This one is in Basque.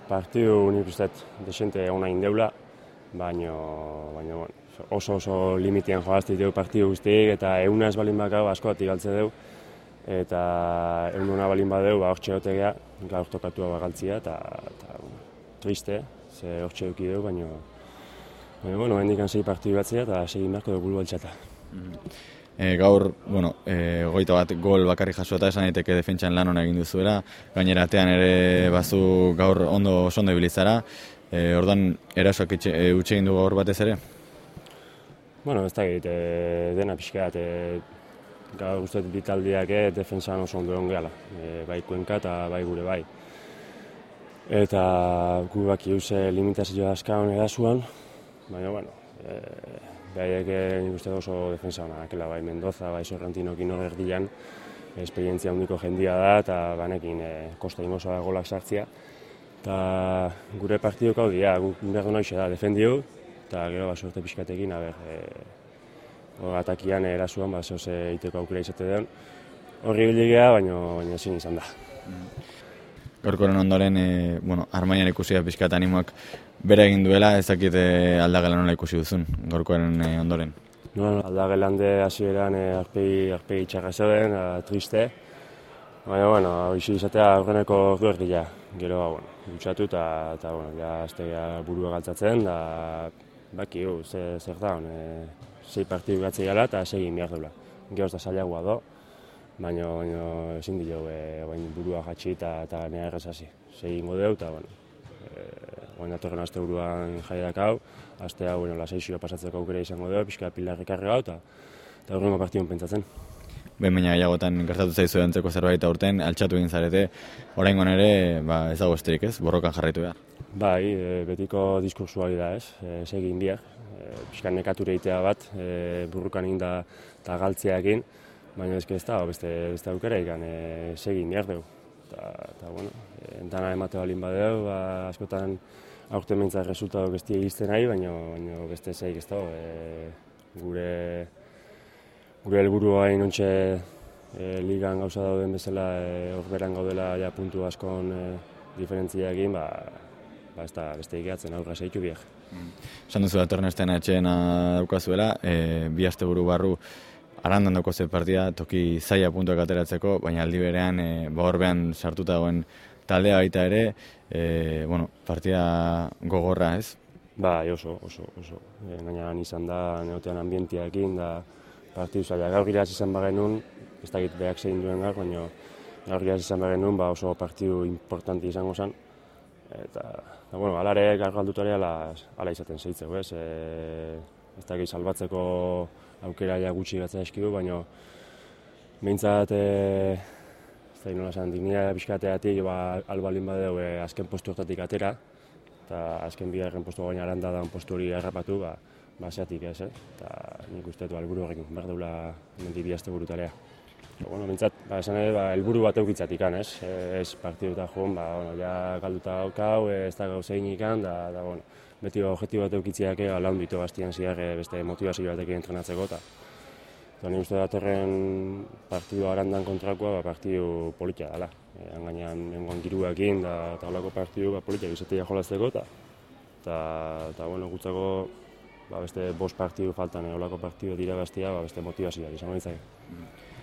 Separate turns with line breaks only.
partidu nik uste desente ona indeula, baina oso limitean joazti dugu partidu guztiek, eta euna ez balin bakau askoatik galtze dugu, eta egun balin badeu, hortxe gotegea, gaur tokatua bagaltzia, eta triste, ze hortxe duki dugu, baina hendik sei partidu batzea, eta segin beharko dugu bulu baltxata.
Gaur, 21 gol bakarrik jasota esan daiteke defentsan lan ona egin duzuela, gainera atean ere bazu gaur oso ondo ibilizara, orduan erasoak utxe egin du gaur batez ere?
Ez da egit, dena pixkat, gaur uste bitaldiak defentsan oso ondo egon gehala, bai Kuenka eta bai gure bai. Eta gu baki uze limitazioa askaun erasuan, baina, behaiek nik uste oso defensa hona dakela, bai Mendoza, bai Sorrentinokin hor erdian, esperientzia handiko jendia da, eta banekin kosta ingoza golak sartzia. Eta gure partidok hau dira, guk behar du noixe da, defendiu, eta gero sorte pixkatekin, atakian erasuan, zoze iteko aukera izate den. Horri biligea, baina ezin izan da.
Gaurkoren ondoren, Armainan ikusia pixkat animoak bere egin duela, ez dakit Aldagelan nola ikusi duzun, gaurkoren ondoren?
Aldagelan de hasieran arpegi txarra zeuden, triste, baina, hoizu izatea aurreneko erdia. Gero, dutxatu eta aztea burua galtzatzen, da baki, zer da, 6 partidu gatzei gala eta 6 egin behar duela. Gero ez da zailagoa do, baina ezin dio burua jatxi eta nea errezasi. 6 ingo deu eta, datorren aste buruan jaiak hau, aste hau, lasaizioa pasatzeko aukera izango deu, pixka pilarrik karrega hau eta horrengo partidun pentsatzen.
Baina gehiagotan gertatu zaizu antzeko zerbait aurten, altxatu egin zarete, oraingoan ere ez dago esterik ez, borrokan jarraitu behar.
Bai, betiko diskursu hori da ez, segin biak, pixka nekature egitea bat, burrukan egin da galtzea egin, baina ez da, beste aukera ikan segin behar dugu. Dana emate balin badeu, askotan aurten mentzak resultatuk ez dira izten nahi, baina beste zeik ez da, gure helburua hain ontxe ligan gauza dauden bezala horberan gaudela ja puntu askon diferentzia egin, ez da beste egiatzen aurra zeitu biak.
Esan duzu datorren astean atxeena daukazuela, 2 asteburu barru Arandan dauko ze partida, toki zaila puntuak ateratzeko, baina aldi berean horbean sartuta dagoen taldea baita ere, partida gogorra ez?
Bai, oso. Gainan izan da, neotean ambientiakin, da partidu zaila. Gaur giraz izan bagenun, ez dakit behak zein duen gaur, baina gaur giraz izan bagenun, oso partidu importanti izango zen. Eta, alare gaur galdutare ala izaten zeitzeu, ez? Ez dakit salbatzeko aukera gutxi gatzea eskidu, baina behintzat, ez da nola esan, dignia pixkateatik albalin badeu azken postu hortatik atera, eta azken bigarren postu baina Aranda da postu hori harrapatu, zeatik ez, eta nik uste helburu horrekin, behar deula hemendik 2 asteburu tarea. Behintzat, esan ere, helburu bat eukitzatik, ez partidu eta joan, ja galduta gaukau, ez da gauzein ikan, da beti objektibo bat eukitziak laun ditu bastian ziar beste motivazio batekin entrenatzeko, eta nik uste datorren partidu Arandan kontrakoa partidu politia dela. Gainean nengoan giruakin, eta holako partidu politia izatea jolazteko, eta gutzako beste 5 partidu faltan holako partidu dira bastia, beste motivazioak izango ditzake.